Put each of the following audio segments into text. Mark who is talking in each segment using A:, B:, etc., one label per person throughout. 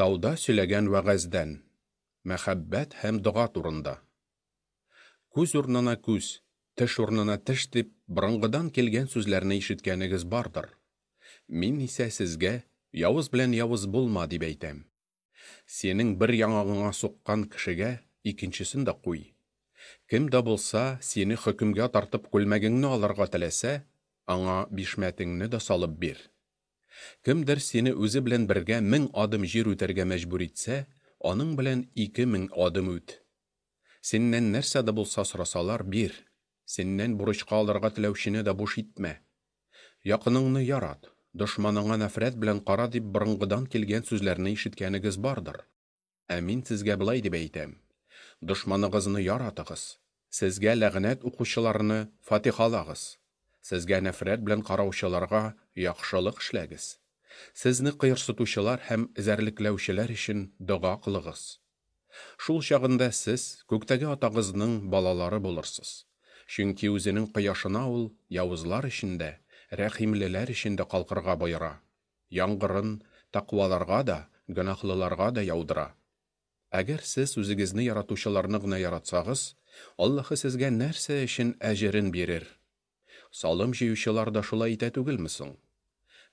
A: Тауда сөйләгән вәгазьдән. Мәхәббәт һәм дога турында. Күз урынына күз, теш урынына теш дип борынгыдан килгән сүзләрне ишеткәнегез бардыр. Мин исә сезгә явыз белән явыз булма дип әйтәм. Синең бер яңагыңа суккан кешегә икенчесен дә куй. Кем дә булса сине хөкемгә тартып күлмәгеңне алырга теләсә, аңа бишмәтеңне дә салып бир. Кемдер сине үзе белән бергә 1000 адым җир үтәргә мәҗбүр итсә, аның белән 2000 адым үт. Синнән нәрсә дә булса сорасалар, бир. Синнән бурычка алырга теләүчене дә буш итмә. Якыныңны ярат, дошманыңа нәфрәт белән кара дип борынгыдан килгән сүзләрне ишеткәнегез бардыр. Ә мин сезгә болай дип әйтәм: дошманыгызны яратыгыз, сезгә ләгънәт укучыларны фатихалагыз, сезгә нәфрәт белән караучыларга яхшылык эшләгез. Сезне кыерсытучылар һәм эзәрлекләүчеләр өчен дога кылыгыз. Шул чагында сез күктәге Атагызның балалары булырсыз. Чөнки үзенең кояшына ул явызлар өчен дә, рәхимлеләр өчен дә калкырга боера. Яңгырын тәкъваларга да, гөнаһлыларга да яудыра. Әгәр сез үзегезне яратучыларны гына яратсагыз, Аллаһы сезгә нәрсә өчен әҗерен бирер? Салым җыючылар да шулай итә түгелме соң?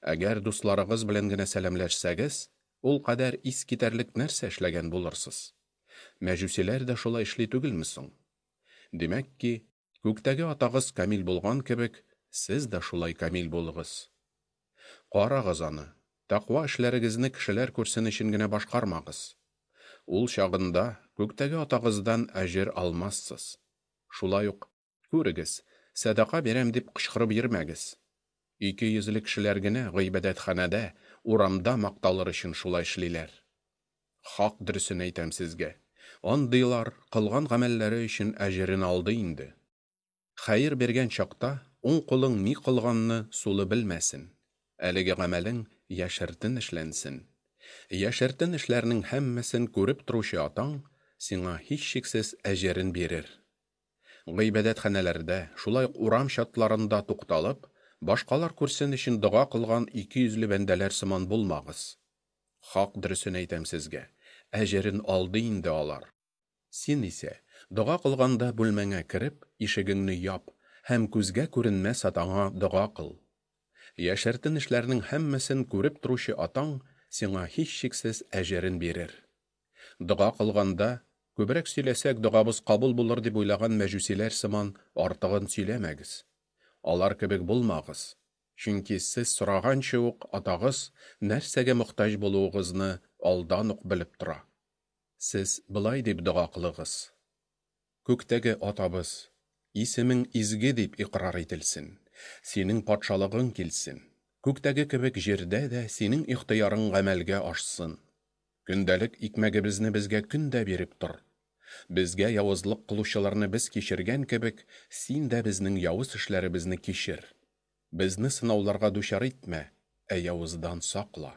A: Әгәр дусларыгыз белән генә сәламләшсәгез, ул кадәр ис китәрлек нәрсә эшләгән булырсыз? Мәҗүсиләр дә шулай эшли түгелме соң? Димәк ки, күктәге Атагыз камил булган кебек, сез дә шулай камил булыгыз. Карагыз аны, тәкъва эшләрегезне кешеләр күрсен өчен генә башкармагыз. Ул чагында күктәге Атагыздан әҗер алмассыз. Шулай ук, күрегез, сәдака бирәм дип кычкырып йөрмәгез. Ике йөзле кешеләр генә гыйбадәтханәдә, урамда макталыр өчен шулай эшлиләр. Хак дөресен әйтәм сезгә, андыйлар кылган гамәлләре өчен әҗерен алды инде. Хәер биргән чакта уң кулың ни кылганны сулы белмәсен. Әлеге гамәлең яшертен эшләнсен. Яшертен эшләрнең һәммәсен күреп торучы Атаң сиңа һичшиксез әҗерен бирер. Гыйбадәтханәләрдә, шулай ук урам чатларында тукталып, башкалар күрсен өчен дога кылган ике йөзле бәндәләр сыман булмагыз. Хак дөресен әйтәм сезгә, әҗерен алды инде алар. Син исә, дога кылганда бүлмәңә кереп, ишегеңне яп һәм күзгә күренмәс Атаңа дога кыл. Яшертен эшләрнең һәммәсен күреп торучы Атаң сиңа һичшиксез әҗерен бирер. Дога кылганда, күбрәк сөйләсәк, догабыз кабул булыр дип уйлаган мәҗүсиләр сыман артыгын сөйләмәгез. Алар кебек булмагыз, чөнки сез сораганчы ук Атагыз нәрсәгә мохтаҗ булуыгызны алдан ук белеп тора. Сез болай дип дога кылыгыз: Күктәге Атабыз, исемең изге дип икърар ителсен, синең патшалыгың килсен, күктәге кебек җирдә дә синең ихтыярың гамәлгә ашсын. Көндәлек икмәгебезне безгә көн дә биреп тор. Безгә явызлык кылучыларны без кичергән кебек, син дә безнең явыз эшләребезне кичер. Безне сынауларга дучар итмә, ә явыздан сакла.